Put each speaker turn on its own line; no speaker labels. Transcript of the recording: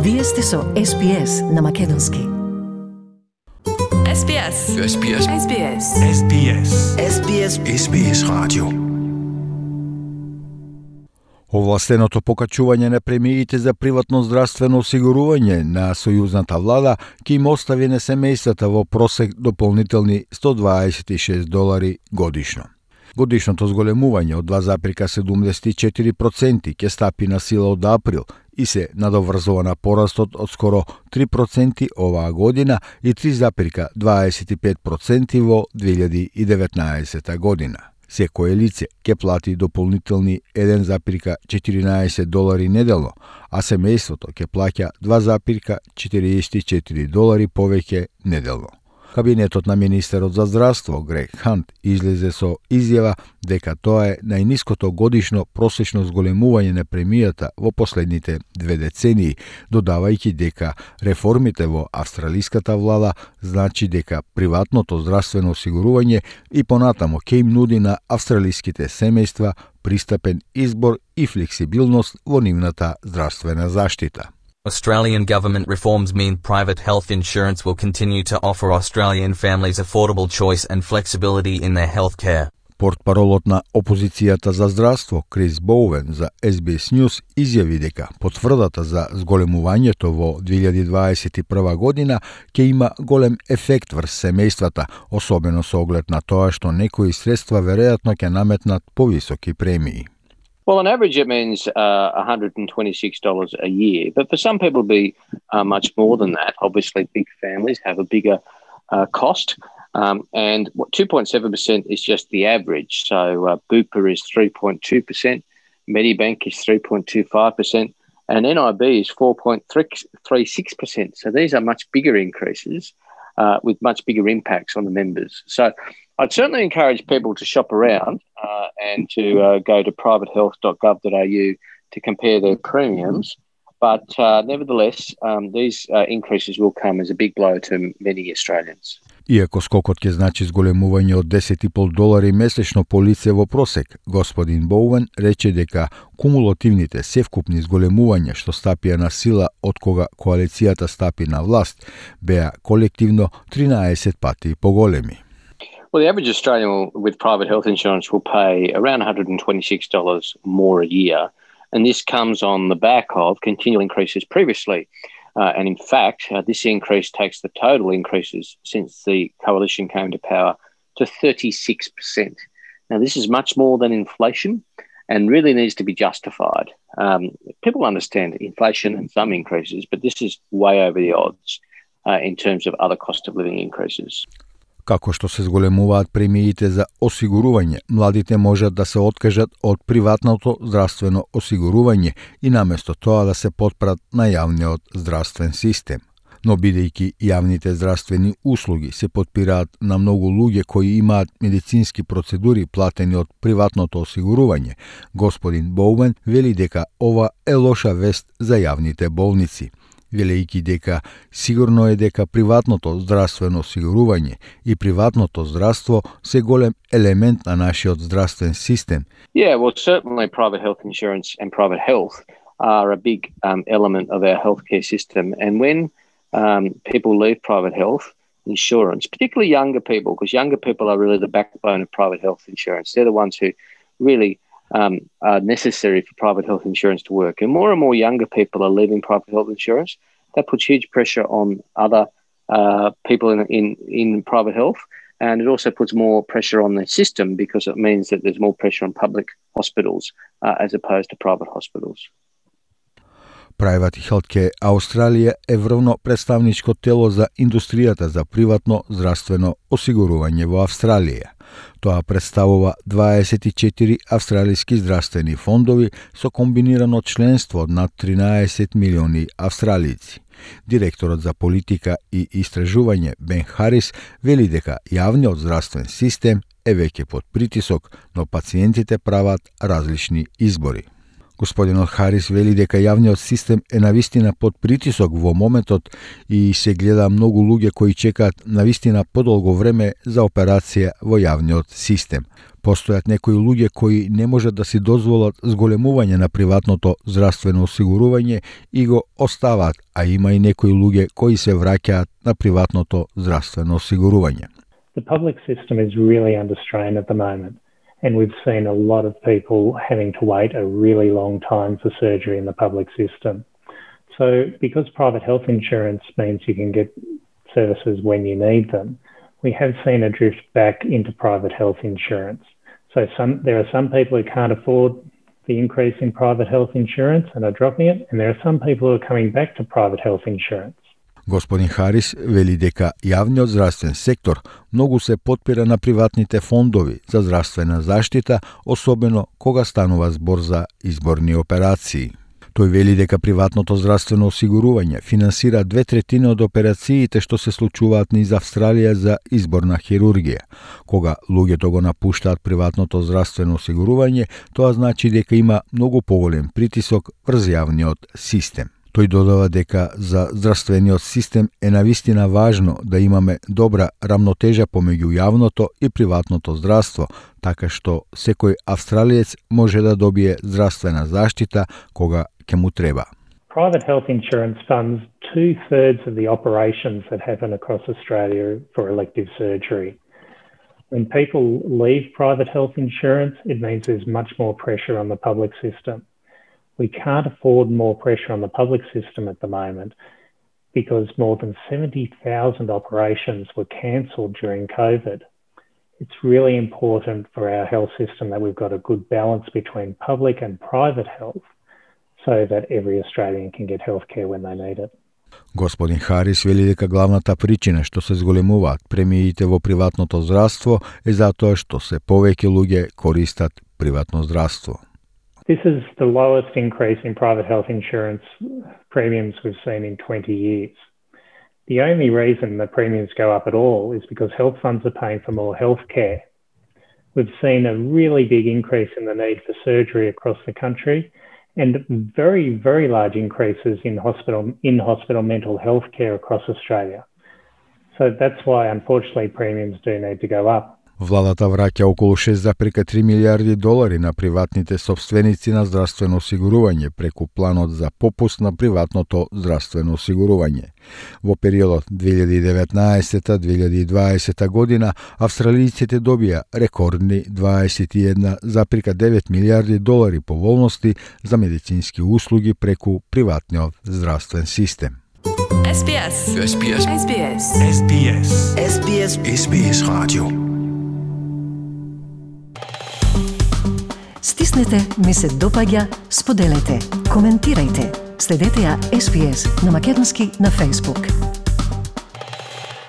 Вие сте со SPS на македонски.
SBS.
SBS.
SBS.
SBS.
SBS.
SBS радио.
Овластеното покачување на премиите за приватно здравствено осигурување на сојузната влада ќе им остави на семејствата во просек дополнителни $126 годишно. Годишното зголемување од 2,74% ќе стапи на сила од април и се надоврзува на порастот од скоро 3% оваа година и 3,25% во 2019 година. Секое лице ќе плати дополнителни $1,14 неделно, а семејството ќе плаќа $2,44 повеќе неделно. Кабинетот на министерот за здравство Грег Хант излезе со изјава дека тоа е најниското годишно просечно зголемување на премијата во последните 2 децении, додавајќи дека реформите во австралиската влада значи дека приватното здравствено осигурување и понатамо ќе им нуди на австралиските семејства пристапен избор и флексибилност во нивната здравствена заштита.
Australian government reforms mean private health insurance will continue to offer Australian families affordable choice and flexibility in their health care.
Портпаролот на опозицијата за здравство Крис Боуен за SBS News изјави дека потврдата за зголемувањето во 2021 година ќе има голем ефект врз семејствата, особено со оглед на тоа што некои средства веројатно ќе наметнат повисоки премии.
Well, on average, it means $126 a year. But for some people, it'll be much more than that. Obviously, big families have a bigger cost. And 2.7% is just the average. So Bupa is 3.2%, Medibank is 3.25%, and NIB is 4.36%. So these are much bigger increases with much bigger impacts on the members. So I'd certainly encourage people to shop around and to go to privatehealth.gov.au to compare their premiums. But nevertheless, these increases will come as a big blow to many Australians.
Иако скокот ќе значи зголемување од $10,5 месечно по лице во просек, господин Боуен рече дека кумулативните севкупни зголемувања што стапија на сила од кога коалицијата стапи на власт беа колективно 13 пати поголеми.
Well, the average Australian with private health insurance will pay around $126 more a year, and this comes on the back of continual increases previously. And in fact, this increase takes the total increases since the coalition came to power to 36%. Now, this is much more than inflation and really needs to be justified. People understand inflation and some increases, but this is way over the odds in terms of other cost of living increases.
Како што се зголемуваат премиите за осигурување, младите можат да се откажат од приватното здравствено осигурување и наместо тоа да се потпрат на јавниот здравствен систем. Но бидејќи јавните здравствени услуги се потпираат на многу луѓе кои имаат медицински процедури платени од приватното осигурување, господин Боуен вели дека ова е лоша вест за јавните болници, велејќи дека сигурно е дека приватното здравствено осигурување и приватното здравство се голем елемент на нашиот здравствен систем.
Yeah, well, certainly private health insurance and private health are a big element of our healthcare system. And when people leave private health insurance, particularly younger people, because younger people are really the backbone of private health insurance. They're the ones who really are necessary for private health insurance to work. And more younger people are leaving private health insurance. That puts huge pressure on other people in private health. And it also puts more pressure on the system because it means that there's more pressure on public hospitals as opposed to private hospitals.
Private Healthcare Australia е врвно представничко тело за индустријата за приватно здравствено осигурување во Австралија. Тоа представува 24 австралиски здравствени фондови со комбинирано членство од над 13 милиони австралици. Директорот за политика и истражување Бен Харис вели дека јавниот здравствен систем е веќе под притисок, но пациентите прават различни избори. Господинот Харис вели дека јавниот систем е навистина под притисок во моментот и се гледа многу луѓе кои чекаат навистина подолго време за операција во јавниот систем. Постојат некои луѓе кои не можат да си дозволат зголемување на приватното здравствено осигурување и го оставаат, а има и некои луѓе кои се враќаат на приватното здравствено осигурување.
The public system is really under strain at the moment, and we've seen a lot of people having to wait a really long time for surgery in the public system. So because private health insurance means you can get services when you need them, we have seen a drift back into private health insurance. So there are some people who can't afford the increase in private health insurance and are dropping it, and there are some people who are coming back to private health insurance.
Господин Харис вели дека јавниот здравствен сектор многу се потпира на приватните фондови за здравствена заштита, особено кога станува збор за изборни операции. Тој вели дека приватното здравствено осигурување финансира 2/3 од операциите што се случуваат низ Австралија за изборна хирургија. Кога луѓето го напуштаат приватното здравствено осигурување, тоа значи дека има многу поголем притисок врз јавниот систем. Тој додава дека за здравствениот систем е навистина важно да имаме добра рамнотежа помеѓу јавното и приватното здравство, така што секој австралиец може да добие здравствена заштита кога ќе му треба.
Private health insurance funds 2/3 of the operations that happen across Australia for elective surgery. When people leave private health insurance, it means there's much more pressure on the public system. We can't afford more pressure on the public system at the moment because more than 70,000 operations were cancelled during COVID. It's really important for our health system that we've got a good balance between public and private health so that every Australian can get healthcare when they need it.
Господин Харис вели дека главната причина што се зголемуваат премиите во приватното здравство е затоа што се повеќе луѓе користат приватно здравство.
This is the lowest increase in private health insurance premiums we've seen in 20 years. The only reason the premiums go up at all is because health funds are paying for more health care. We've seen a really big increase in the need for surgery across the country and very, very large increases in hospital mental health care across Australia. So that's why, unfortunately, premiums do need to go up.
Владата враќа околу 6,3 милиарди долари на приватните собственици на здравствено осигурување преку планот за попуст на приватното здравствено осигурување. Во периодот 2019-2020 година австралијците добија рекордни 21,9 милиарди долари поволности за медицински услуги преку приватниот здравствен систем.
SBS. SBS.
SBS.
SBS.
SBS.
SBS Radio.
Стиснете, ми се допаѓа, споделете, коментирајте. Следете ја SBS на македонски на Facebook.